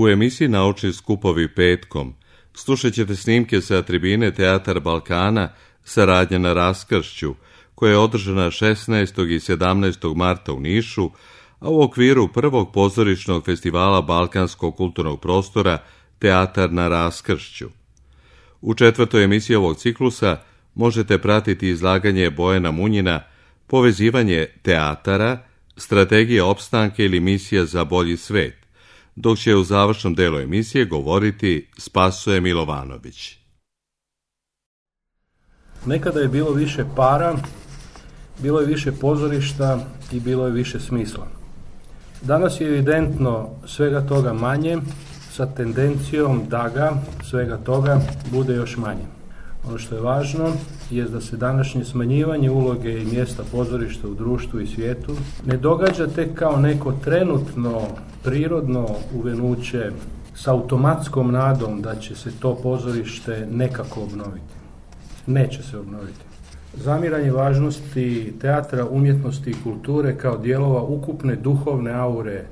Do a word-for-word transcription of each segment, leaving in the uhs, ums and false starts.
U emisiji Naučni skupovi petkom slušat ćete snimke sa tribine Teatar Balkana Saradnja na raskršću, koja je održana šesnaestog i sedamnaestog marta u Nišu, a u okviru prvog pozorišnog festivala Balkanskog kulturnog prostora Teatar na raskršću. U četvrtoj emisiji ovog ciklusa možete pratiti izlaganje Bojana Munjina Povezivanje teatara, strategija opstanka ili misija za bolji svet, dok će u završnom delu emisije govoriti Spasoje Milovanović. Nekada je bilo više para, bilo je više pozorišta i bilo je više smisla. Danas je evidentno svega toga manje, sa tendencijom da ga, svega toga, bude još manje. Ono što je važno je da se današnje smanjivanje uloge i mjesta pozorišta u društvu i svijetu ne događa tek kao neko trenutno, prirodno uvenuće s automatskom nadom da će se to pozorište nekako obnoviti. Neće se obnoviti. Zamiranje važnosti teatra, umjetnosti i kulture kao dijelova ukupne duhovne aure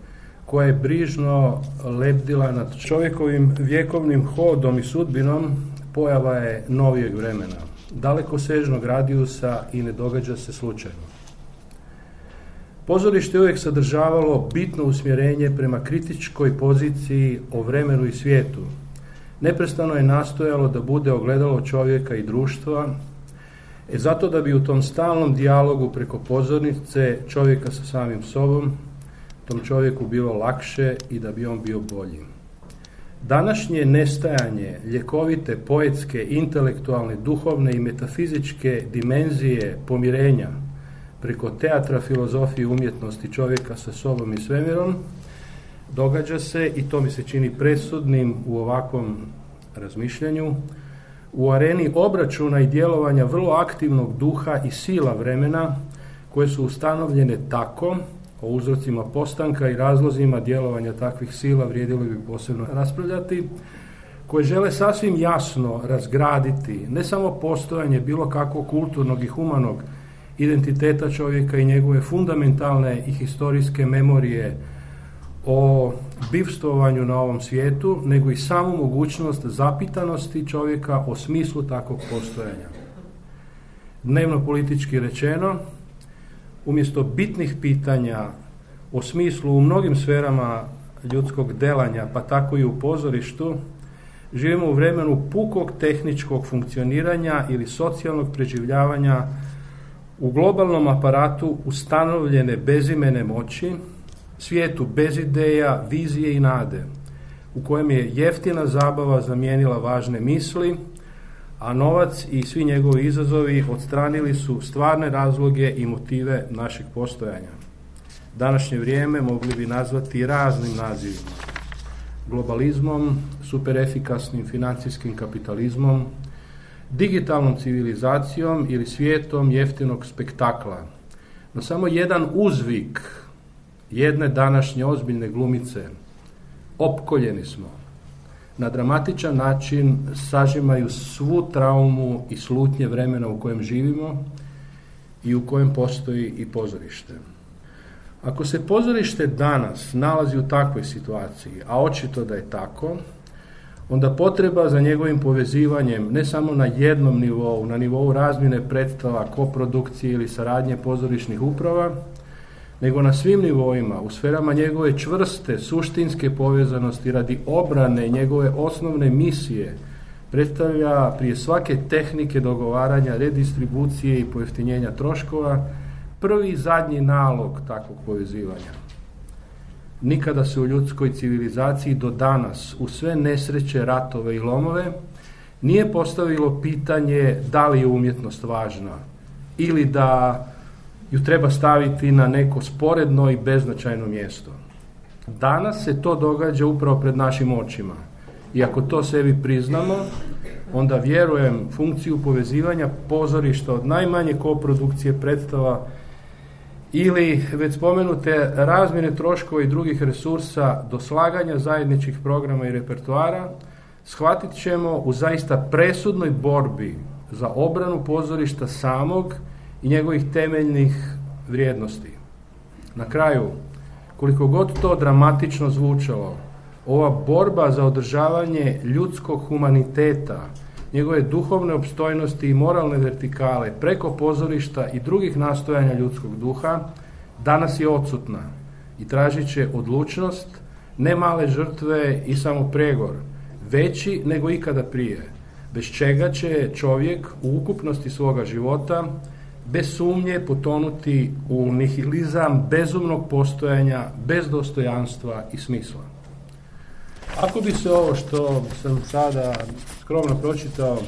koja je brižno lebdila nad čovjekovim vjekovnim hodom i sudbinom, pojava je novijeg vremena, dalekosežnog radijusa i ne događa se slučajno. Pozorište je uvijek sadržavalo bitno usmjerenje prema kritičkoj poziciji o vremenu i svijetu. Neprestano je nastojalo da bude ogledalo čovjeka i društva, e zato da bi u tom stalnom dijalogu preko pozornice čovjeka sa samim sobom, tom čovjeku bilo lakše i da bi on bio bolji. Današnje nestajanje ljekovite, poetske, intelektualne, duhovne i metafizičke dimenzije pomirenja preko teatra, filozofije, umjetnosti čovjeka sa sobom i svemirom događa se, i to mi se čini presudnim u ovakvom razmišljanju, u areni obračuna i djelovanja vrlo aktivnog duha i sila vremena koje su ustanovljene tako, o uzrocima postanka i razlozima djelovanja takvih sila vrijedilo bi posebno raspravljati, koje žele sasvim jasno razgraditi ne samo postojanje bilo kakvog kulturnog i humanog identiteta čovjeka i njegove fundamentalne i historijske memorije o bivstvovanju na ovom svijetu, nego i samu mogućnost zapitanosti čovjeka o smislu takvog postojanja. Dnevno politički rečeno, umjesto bitnih pitanja o smislu u mnogim sferama ljudskog delanja, pa tako i u pozorištu, živimo u vremenu pukog tehničkog funkcioniranja ili socijalnog preživljavanja u globalnom aparatu ustanovljene bezimene moći, svijetu bez ideja, vizije i nade, u kojem je jeftina zabava zamijenila važne misli, a novac i svi njegovi izazovi odstranili su stvarne razloge i motive našeg postojanja. Današnje vrijeme mogli bi nazvati raznim nazivima. Globalizmom, superefikasnim financijskim kapitalizmom, digitalnom civilizacijom ili svijetom jeftinog spektakla. No samo jedan uzvik jedne današnje ozbiljne glumice, opkoljeni smo, na dramatičan način sažimaju svu traumu i slutnje vremena u kojem živimo i u kojem postoji i pozorište. Ako se pozorište danas nalazi u takvoj situaciji, a očito da je tako, onda potreba za njegovim povezivanjem ne samo na jednom nivou, na nivou razmjene predstava, koprodukcije ili saradnje pozorišnih uprava, nego na svim nivoima, u sferama njegove čvrste, suštinske povezanosti radi obrane njegove osnovne misije, predstavlja prije svake tehnike dogovaranja, redistribucije i pojeftinjenja troškova prvi i zadnji nalog takvog povezivanja. Nikada se u ljudskoj civilizaciji do danas, u sve nesreće, ratove i lomove, nije postavilo pitanje da li je umjetnost važna ili da ju treba staviti na neko sporedno i beznačajno mjesto. Danas se to događa upravo pred našim očima. I ako to sebi priznamo, onda vjerujem funkciju povezivanja pozorišta od najmanje koprodukcije predstava ili već spomenute razmjene troškova i drugih resursa do slaganja zajedničkih programa i repertoara, shvatit ćemo u zaista presudnoj borbi za obranu pozorišta samog i njegovih temeljnih vrijednosti. Na kraju, koliko god to dramatično zvučalo, ova borba za održavanje ljudskog humaniteta, njegove duhovne opstojnosti i moralne vertikale preko pozorišta i drugih nastojanja ljudskog duha danas je odsutna i tražit će odlučnost, ne male žrtve i samo pregor, veći nego ikada prije, bez čega će čovjek u ukupnosti svoga života bez sumnje potonuti u nihilizam bezumnog postojanja, bez dostojanstva i smisla. Ako bi se ovo što sam sada skromno pročitao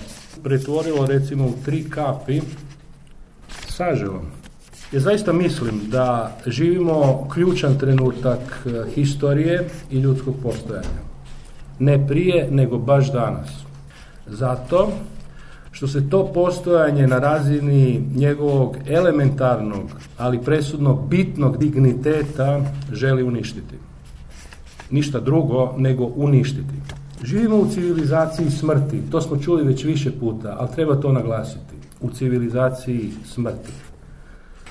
pretvorilo recimo u tri kapi, saževom, ja zaista mislim da živimo ključan trenutak historije i ljudskog postojanja. Ne prije, nego baš danas. Zato što se to postojanje na razini njegovog elementarnog, ali presudno bitnog digniteta želi uništiti. Ništa drugo nego uništiti. Živimo u civilizaciji smrti, to smo čuli već više puta, ali treba to naglasiti. U civilizaciji smrti,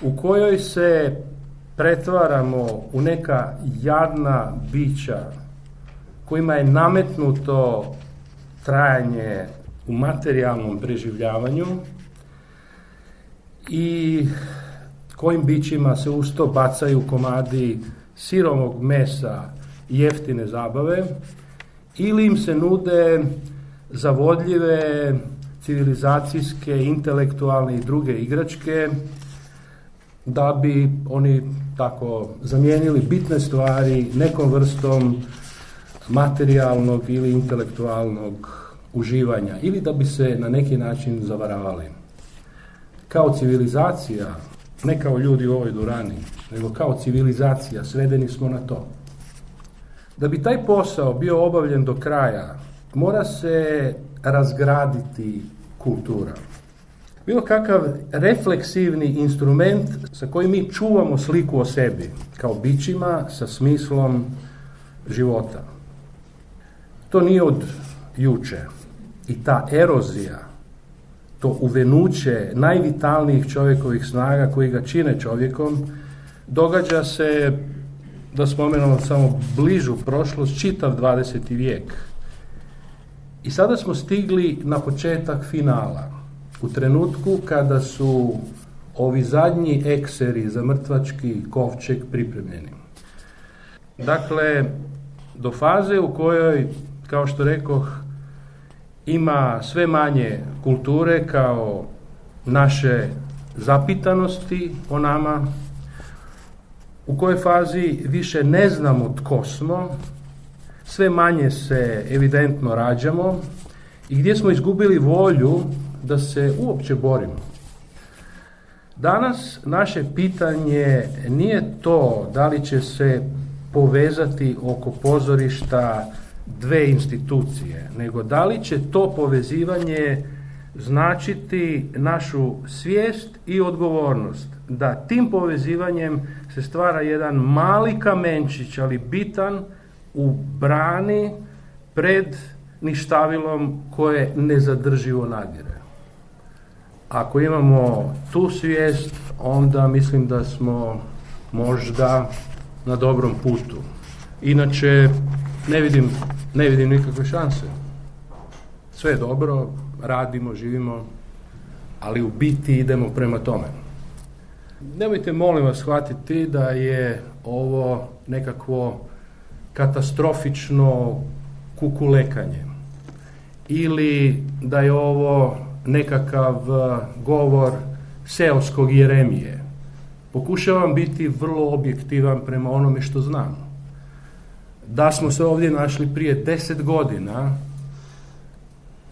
u kojoj se pretvaramo u neka jadna bića kojima je nametnuto trajanje u materijalnom preživljavanju i kojim bićima se uz to bacaju komadi sirovog mesa i jeftine zabave, ili im se nude zavodljive civilizacijske, intelektualne i druge igračke da bi oni tako zamijenili bitne stvari nekom vrstom materijalnog ili intelektualnog uživanja ili da bi se na neki način zavaravali. Kao civilizacija, ne kao ljudi u ovoj dvorani, nego kao civilizacija svedeni smo na to. Da bi taj posao bio obavljen do kraja, mora se razgraditi kultura. Bilo kakav refleksivni instrument sa kojim mi čuvamo sliku o sebi, kao bićima sa smislom života. To nije od juče. I ta erozija, to uvenuće najvitalnijih čovjekovih snaga koji ga čine čovjekom, događa se, da spomenemo samo bližu prošlost, čitav dvadeseti vijek. I sada smo stigli na početak finala, u trenutku kada su ovi zadnji ekseri za mrtvački kovčeg pripremljeni. Dakle, do faze u kojoj, kao što rekoh, ima sve manje kulture kao naše zapitanosti o nama, u kojoj fazi više ne znamo tko smo, sve manje se evidentno rađamo i gdje smo izgubili volju da se uopće borimo. Danas naše pitanje nije to da li će se povezati oko pozorišta dve institucije, nego da li će to povezivanje značiti našu svijest i odgovornost, da tim povezivanjem se stvara jedan mali kamenčić, ali bitan, u brani pred ništavilom koje nezadrživo nadire. Ako imamo tu svijest, onda mislim da smo možda na dobrom putu. Inače, ne vidim, ne vidim nikakve šanse. Sve je dobro, radimo, živimo, ali u biti idemo prema tome. Nemojte, molim vas, shvatiti da je ovo nekakvo katastrofično kukulekanje ili da je ovo nekakav govor seoskog Jeremije. Pokušavam biti vrlo objektivan prema onome što znam. Da smo se ovdje našli prije deset godina,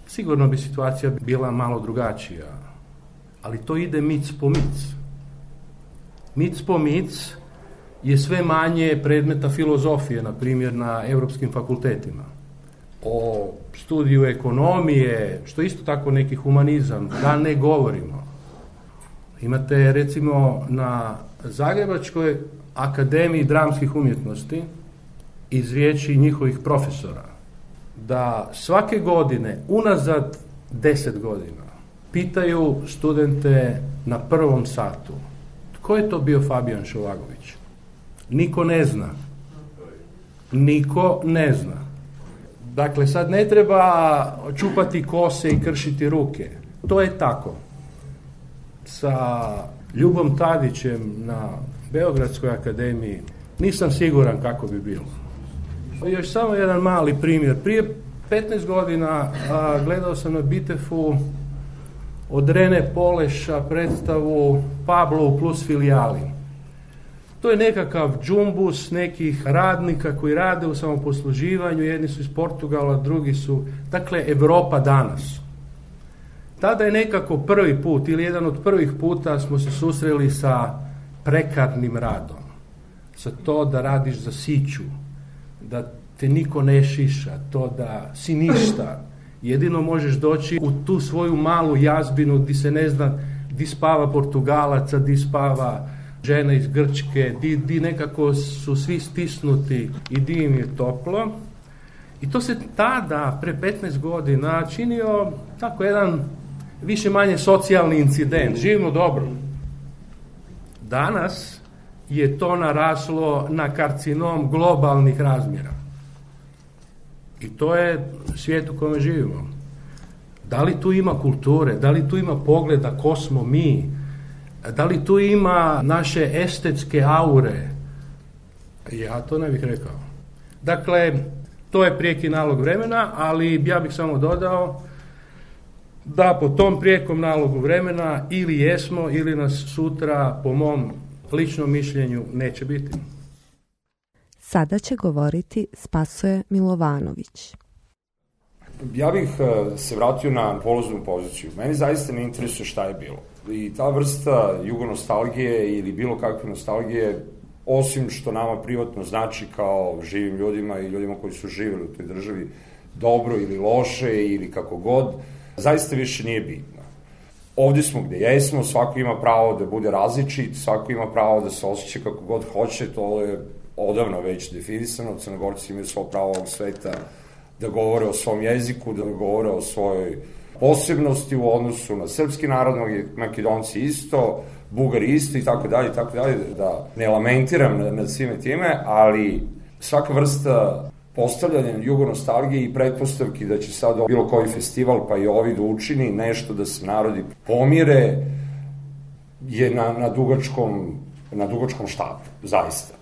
sigurno bi situacija bila malo drugačija. Ali to ide mic po mic. Mic po mic je sve manje predmeta filozofije, na primjer na europskim fakultetima. O studiju ekonomije, što isto tako neki humanizam, da ne govorimo. Imate recimo na Zagrebačkoj akademiji dramskih umjetnosti iz riječi njihovih profesora da svake godine, unazad deset godina, pitaju studente na prvom satu tko je to bio Fabijan Šovagović. Niko ne zna. Niko ne zna. Dakle, sad ne treba čupati kose i kršiti ruke. To je tako. Sa Ljubom Tadićem na Beogradskoj akademiji nisam siguran kako bi bilo. Još samo jedan mali primjer. Prije petnaest godina a, gledao sam na Bitefu od Rene Poleša predstavu Pablo plus filijali. To je nekakav džumbus nekih radnika koji rade u samoposluživanju, jedni su iz Portugala, drugi su, dakle, Europa danas. Tada je nekako prvi put ili jedan od prvih puta smo se susreli sa prekarnim radom, sa to da radiš za siću, da te niko ne šiša, to da si ništa. Jedino možeš doći u tu svoju malu jazbinu di se ne zna di spava Portugalaca, di spava žena iz Grčke, di, di nekako su svi stisnuti i di im je toplo. I to se tada, pre petnaest godina, činio tako jedan više manje socijalni incident. Živimo dobro. Danas je to naraslo na karcinom globalnih razmjera. I to je svijet u kome živimo. Da li tu ima kulture, da li tu ima pogleda ko smo mi, da li tu ima naše estetske aure? Ja to ne bih rekao. Dakle, to je prijeki nalog vremena, ali ja bih samo dodao da po tom prijekom nalogu vremena ili jesmo, ili nas sutra, po mom ličnom mišljenju, neće biti. Sada će govoriti Spasoje Milovanović. Ja bih se vratio na polaznu poziciju. Meni zaista ne interesuje šta je bilo. I ta vrsta jugonostalgije ili bilo kakve nostalgije, osim što nama privatno znači kao živim ljudima i ljudima koji su živjeli u toj državi dobro ili loše ili kako god, zaista više nije bitno. Ovdje smo gde jesmo, svako ima pravo da bude različit, svako ima pravo da se osjeća kako god hoće, to je odavno već definisano, Crnogorci imaju svo pravo ovog sveta da govore o svom jeziku, da govore o svojoj posebnosti u odnosu na srpski narod, Makedonci isto, Bugari isto i tako dalje, i tako dalje, da ne lamentiram nad, nad svime time, ali svaka vrsta postavljanja jugonostalgije i pretpostavki da će sad bilo koji festival, pa i ovi da učini nešto da se narodi pomire, je na, na, dugačkom, na dugačkom štapu, zaista.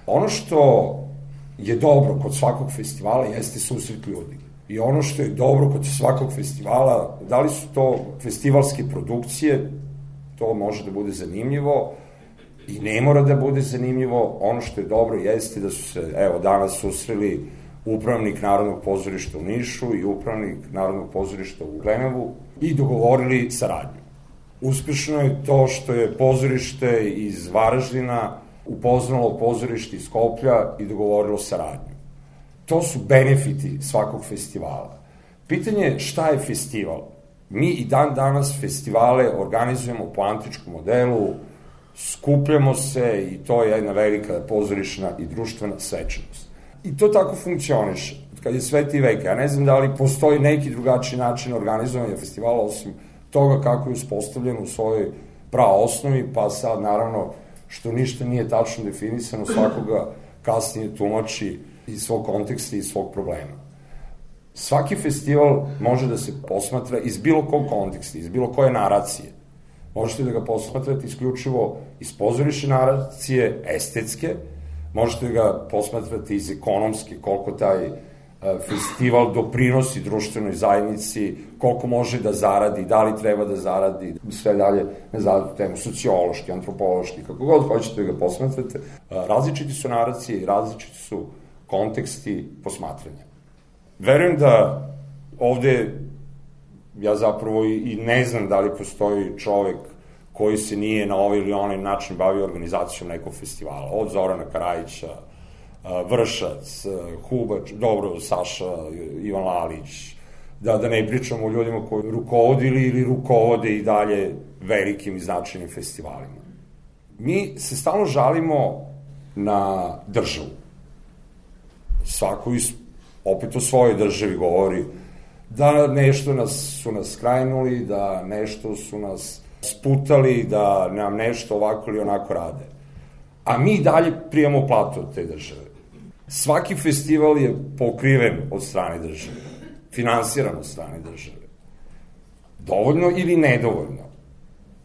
Ono što je dobro kod svakog festivala jeste susret ljudi. I ono što je dobro kod svakog festivala, da li su to festivalske produkcije, to može da bude zanimljivo i ne mora da bude zanimljivo. Ono što je dobro jeste da su se, evo, danas susreli upravnik Narodnog pozorišta u Nišu i upravnik Narodnog pozorišta u Glenevu i dogovorili saradnju. Uspešno je to što je pozorište iz Varaždina upoznalo pozorište iz Skoplja i dogovorilo saradnju. To su benefiti svakog festivala. Pitanje je šta je festival. Mi i dan danas festivale organizujemo po antičkom modelu, skupljamo se i to je jedna velika pozorišna i društvena svečanost. I to tako funkcioniše. Kad je sveti vek, ja ne znam da li postoji neki drugačiji način organizovanja festivala osim toga kako je uspostavljeno u svojoj praosnovi, pa sad naravno što ništa nije tačno definisano, svakoga kasnije tumači iz svog konteksta i iz svog problema. Svaki festival može da se posmatra iz bilo kog konteksta, iz bilo koje naracije. Možete da ga posmatrate isključivo iz pozorišne naracije, estetske, možete da ga posmatrate iz ekonomske, koliko taj festival doprinosi društvenoj zajednici, koliko može da zaradi, da li treba da zaradi, sve dalje ne zaradi temu, sociološki, antropološki, kako god hoćete da ga posmatrate. Različiti su naracije i različiti su konteksti posmatranja. Verujem da ovde ja zapravo i ne znam da li postoji čovek koji se nije na ovaj ili onaj način bavio organizacijom nekog festivala. Od Zorana Karajića, Vršac, Hubač, dobro, Saša, Ivan Lalić, da, da ne pričamo o ljudima koji rukovodili ili rukovode i dalje velikim i značajnim festivalima. Mi se stalno žalimo na državu. Svako iz, opet o svojoj državi govori da nešto nas, su nas skrajnuli, da nešto su nas sputali, da nam nešto ovako ili onako rade. A mi dalje prijemo platu od te države. Svaki festival je pokriven od strane države, finansiran od strane države. Dovoljno ili nedovoljno,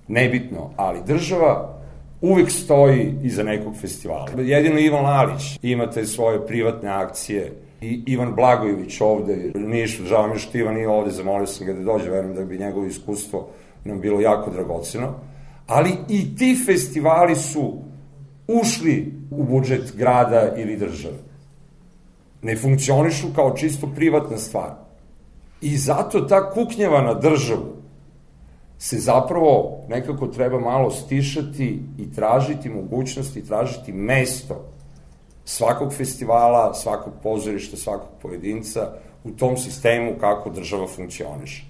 nebitno, ali država uvek stoji iza nekog festivala. Jedino Ivan Lalić ima te svoje privatne akcije i Ivan Blagojević ovde, Nišu, žao mi što Ivan nije ovde, zamolio sam ga da dođe, verujem da bi njegovo iskustvo nam bilo jako dragoceno, ali i ti festivali su ušli u budžet grada ili države. Ne funkcionišu kao čisto privatna stvar. I zato ta kuknjava na državu se zapravo nekako treba malo stišati i tražiti mogućnost i tražiti mesto svakog festivala, svakog pozorišta, svakog pojedinca u tom sistemu kako država funkcioniše.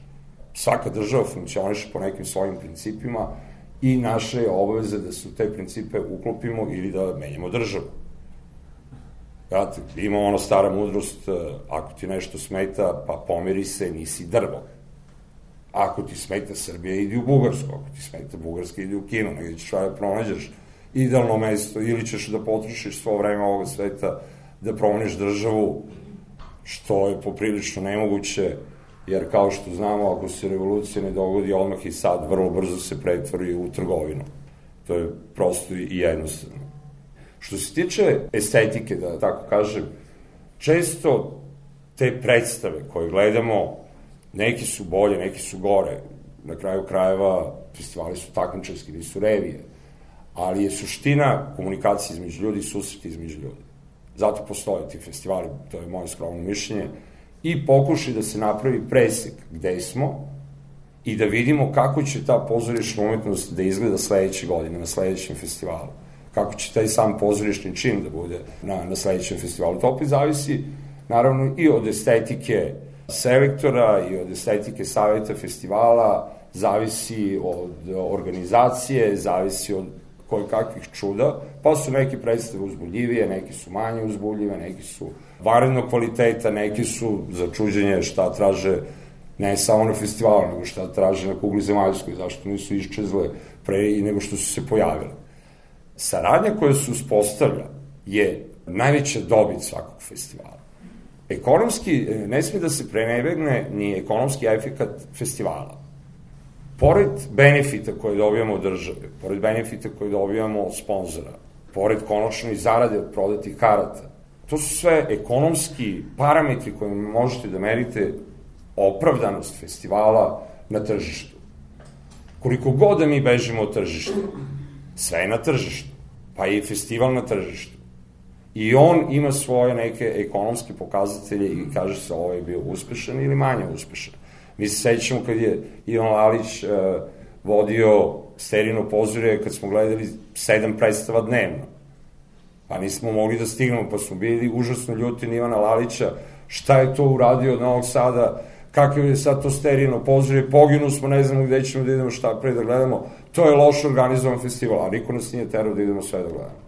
Svaka država funkcioniše po nekim svojim principima i naše je obaveze da se u te principe uklopimo ili da menjamo državu. Znate, ima ono stara mudrost, ako ti nešto smeta, pa pomeri se, nisi drvo. Ako ti smeta Srbija, idi u Bugarsku, ako ti smeta Bugarska, idi u Kinu, negdje ćeš da pronađeš idealno mesto, ili ćeš da potrošiš svo vreme ovoga sveta da promeniš državu, što je poprilično nemoguće, jer kao što znamo, ako se revolucija ne dogodi odmah i sad, vrlo brzo se pretvori u trgovinu. To je prosto i jednostavno. Što se tiče estetike, da tako kažem, često te predstave koje gledamo, neki su bolje, neki su gore. Na kraju krajeva festivali su takmičarski, nisu revije. Ali je suština komunikacije između ljudi i susreti između ljudi. Zato postoje ti festivali, to je moje skromno mišljenje, i pokušaj da se napravi presek gde smo i da vidimo kako će ta pozorišna umetnost da izgleda sledeće godine na sledećem festivalu. Kako će taj sam pozorišni čin da bude na, na sledećem festivalu. To opet zavisi, naravno, i od estetike selektora i od estetike saveta festivala, zavisi od organizacije, zavisi od koje kakvih čuda, pa su neke predstave uzbuljivije, neki su manje uzbuljive, neki su vanrednog kvaliteta, neki su za čuđenje šta traže ne samo na festivalu, nego šta traže na kugli zemaljskoj, zašto nisu iščezle pre i nego što su se pojavile. Saradnja koja se uspostavlja je najveća dobit svakog festivala. Ekonomski, ne smije da se prenebegne ni ekonomski efekat festivala. Pored benefita koje dobijamo od države, pored benefita koje dobijamo od sponzora, pored konačno i zarade od prodatih karata, to su sve ekonomski parametri koje možete da merite opravdanost festivala na tržištu. Koliko god da mi bežimo od tržišta, sve je na tržištu, pa i festival na tržištu. I on ima svoje neke ekonomske pokazatelje i kaže se ovo je bio uspešan ili manje uspešan. Mi se sećamo kad je Ivan Lalić uh, vodio Sterino pozorje, kad smo gledali sedam predstava dnevno. Pa nismo mogli da stignemo, pa smo bili užasno ljuti na Ivana Lalića, šta je to uradio od Novog Sada, kakav je sad to Sterino pozorje, poginu smo, ne znamo gde ćemo da idemo, šta pre da gledamo, to je loše organizovan festival, a niko nas nije terao da idemo sve da gledamo.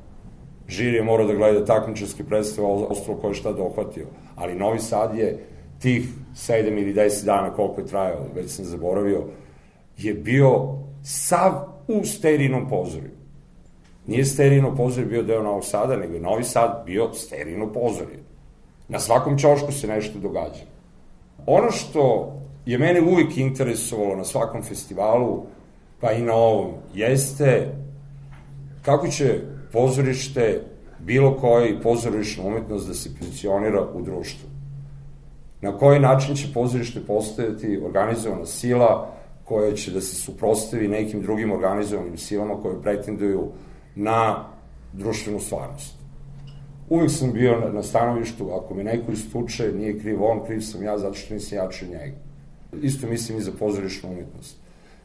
Žiri je morao da gleda takmičarske predstave, ostalo ko je šta dohvatio, ali Novi Sad je tih sedam ili deset dana koliko je trajao, već sam zaboravio, je bio sav u Sterinom pozorju. Nije Sterino pozorje bio deo Novog Sada, nego je Novi Sad bio Sterino pozorje. Na svakom ćošku se nešto događa. Ono što je mene uvijek interesovalo na svakom festivalu, pa i na ovom, jeste kako će pozorište, bilo koji pozorišna umetnost da se pozicionira u društvu. Na koji način će pozorište postojati organizovana sila koja će da se suprotstavi nekim drugim organizovanim silama koje pretenduju na društvenu stvarnost. Uvijek sam bio na, na stanovištu, ako me neko istuče, nije kriv on, kriv sam ja, zato što nisam jači od njega. Isto mislim i za pozorišnu umetnost.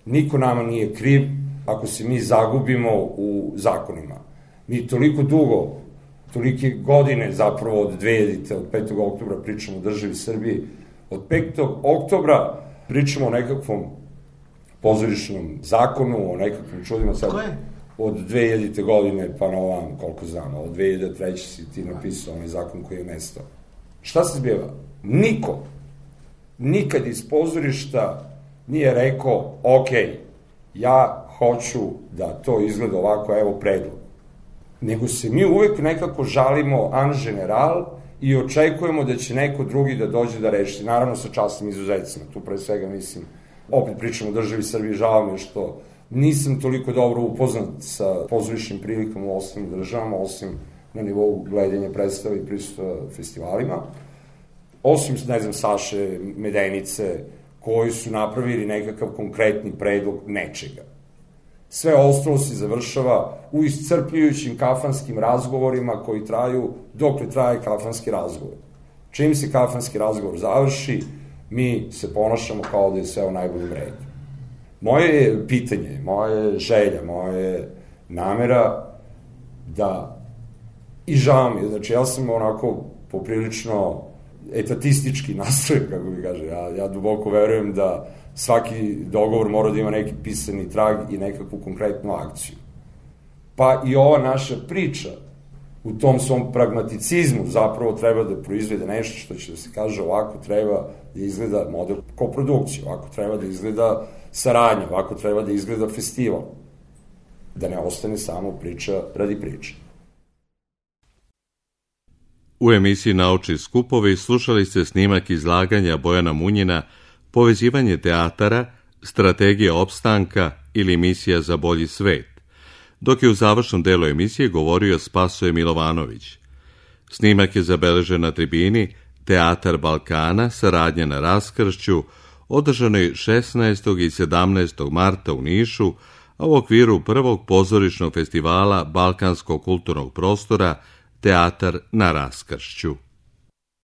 Niko nama nije kriv ako se mi zagubimo u zakonima. Mi toliko dugo, tolike godine zapravo od dve hiljadite, od petog oktobra pričamo o državi Srbiji, od petog oktobra pričamo o nekakvom pozorišnom zakonu, o nekakvim čudima. Sad, od dve hiljadite godine pa na ovam, koliko znam, od dve hiljade treće si ti napisao onaj zakon koji je nestao. Šta se zbijeva? Niko, nikad iz pozorišta nije rekao, ok, ja hoću da to izgleda ovako, evo predlog. Nego se mi uvek nekako žalimo an general i očekujemo da će neko drugi da dođe da reši, naravno sa časnim izuzecima, tu pre svega mislim, opet pričamo o državi Srbije, žao mi je što nisam toliko dobro upoznat sa pozorišnim prilikama u ostalim državama, osim na nivou gledanja predstava i prisustva festivalima, osim, ne znam, Saše Medenice, koji su napravili nekakav konkretni predlog nečega. Sve ostalo se završava u iscrpljujućim kafanskim razgovorima koji traju dokle traje kafanski razgovor. Čim se kafanski razgovor završi, mi se ponašamo kao da je sve u najboljem redu. Moje pitanje, moje želja, moje namera da, i žao mi je, znači ja sam onako poprilično etatistički nastrojen, kako bi kaže, ja, ja duboko verujem da svaki dogovor mora da ima neki pisani trag i nekakvu konkretnu akciju. Pa i ova naša priča u tom svom pragmaticizmu zapravo treba da proizvede nešto što će da se kaže ovako treba da izgleda model koprodukcije, ovako treba da izgleda saradnja, ovako treba da izgleda festival. Da ne ostane samo priča radi priče. U emisiji Naučni skupovi slušali ste snimak izlaganja Bojana Munjina Povezivanje teatara, strategija opstanka ili misija za bolji svet, dok je u završnom delu emisije govorio Spasoje Milovanović. Snimak je zabeležen na tribini Teatar Balkana, saradnja na raskršću, održanoj šesnaestog i sedamnaestog marta u Nišu, a u okviru prvog pozorišnog festivala Balkanskog kulturnog prostora Teatar na raskršću.